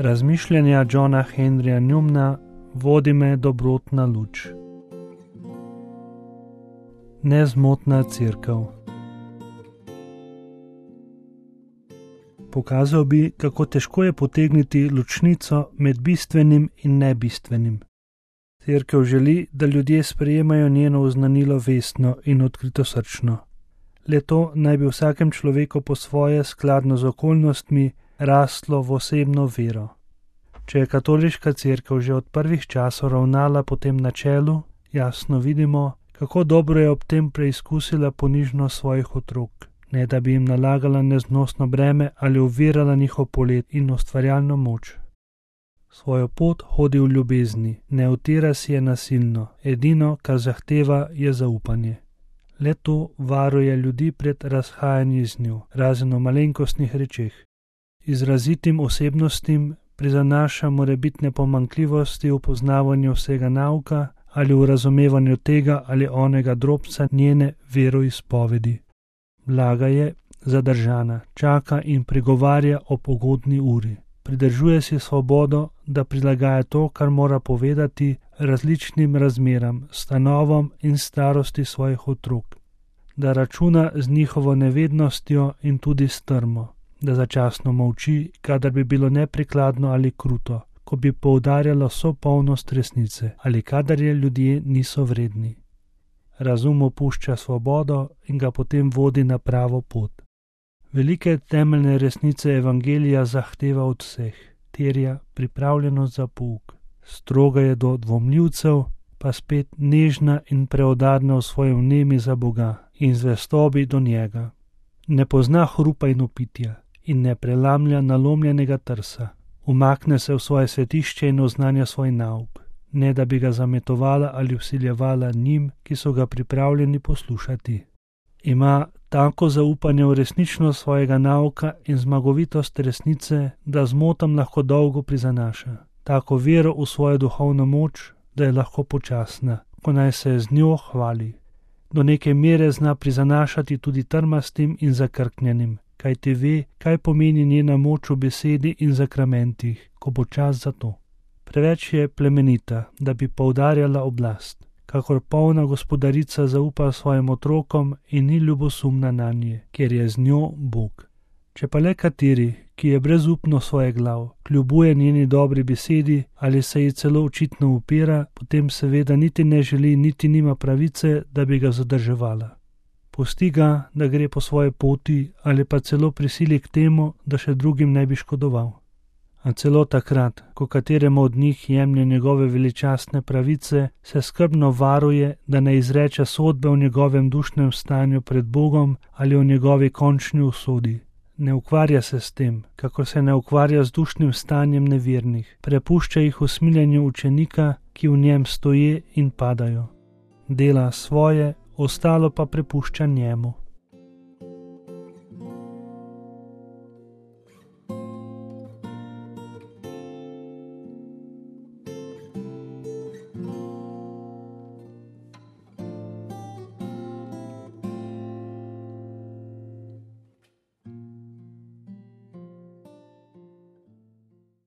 Razmišljanja Johna Henryja Newmana vodi me dobrotna luč. Nezmotna cerkev. Pokazal bi, kako težko je potegniti ločnico med bistvenim in nebistvenim. Cerkev želi, da ljudje sprejemajo njeno oznanilo vestno in odkritosrčno. Le to naj bi vsakem človeku po svoje, skladno z okolnostmi, raslo v osebno vero. Če je katoliška cerkev že od prvih časov ravnala po tem načelu, jasno vidimo, kako dobro je ob tem preizkusila ponižnost svojih otrok, ne da bi jim nalagala neznosno breme ali ovirala njihov polet in ustvarjalno moč. Svojo pot hodi v ljubezni, ne utira si je nasilno, edino, kar zahteva, je zaupanje. Le to varuje ljudi pred razhajanji z njo, razen v malenkostnih rečeh. Izrazitim osebnostim prizanaša morebitne pomanjkljivosti v poznavanju vsega nauka ali v razumevanju tega ali onega drobca njene veroizpovedi. Blaga je, zadržana, čaka in prigovarja ob ugodni uri. Pridržuje si svobodo, da prilagaja to, kar mora povedati, različnim razmeram, stanovom in starosti svojih otrok, da računa z njihovo nevednostjo in tudi strmo, da začasno molči, kadar bi bilo neprikladno ali kruto, ko bi poudarjalo vso polnost resnice ali kadar je ljudje niso vredni. Razum opušča svobodo in ga potem vodi na pravo pot. Velike temeljne resnice evangelija zahteva od vseh, terja pripravljenost za pouk. Stroga je do dvomljivcev, pa spet nežna in preudarna v svojem vnemi za Boga in zvestobi do njega. Ne pozna hrupa in opitja in ne prelamlja nalomljenega trsa. Umakne se v svoje svetišče in oznanja svoj nauk, ne da bi ga zametovala ali vsiljevala njim, ki so ga pripravljeni poslušati. Ima tako zaupanje v resničnost svojega nauka in zmagovitost resnice, da zmotam lahko dolgo prizanaša. Tako vero v svojo duhovno moč, da je lahko počasna, ko naj se z njo hvali. Do neke mere zna prizanašati tudi trmastim in zakrknjenim, kajti ve, kaj pomeni njena moč v besedi in zakramentih, ko bo čas za to. Preveč je plemenita, da bi poudarjala oblast, kakor polna gospodarica zaupa svojim otrokom in ni ljubosumna nanje, ker je z njo Bog. Če pa le kateri, ki je brezupno svoje glav, kljubuje njeni dobri besedi ali se ji celo očitno upira, potem seveda niti ne želi, niti nima pravice, da bi ga zadrževala. Pusti ga, da gre po svoje poti ali pa celo prisili k temu, da še drugim ne bi škodoval. A celo takrat, ko kateremu od njih jemlje njegove veličastne pravice, se skrbno varuje, da ne izreče sodbe o njegovem dušnem stanju pred Bogom ali o njegovi končni usodi. Ne ukvarja se s tem, kako se ne ukvarja z dušnim stanjem nevernih, prepušča jih usmiljenju učenika, ki v njem stoje in padajo. Dela svoje, ostalo pa prepušča njemu.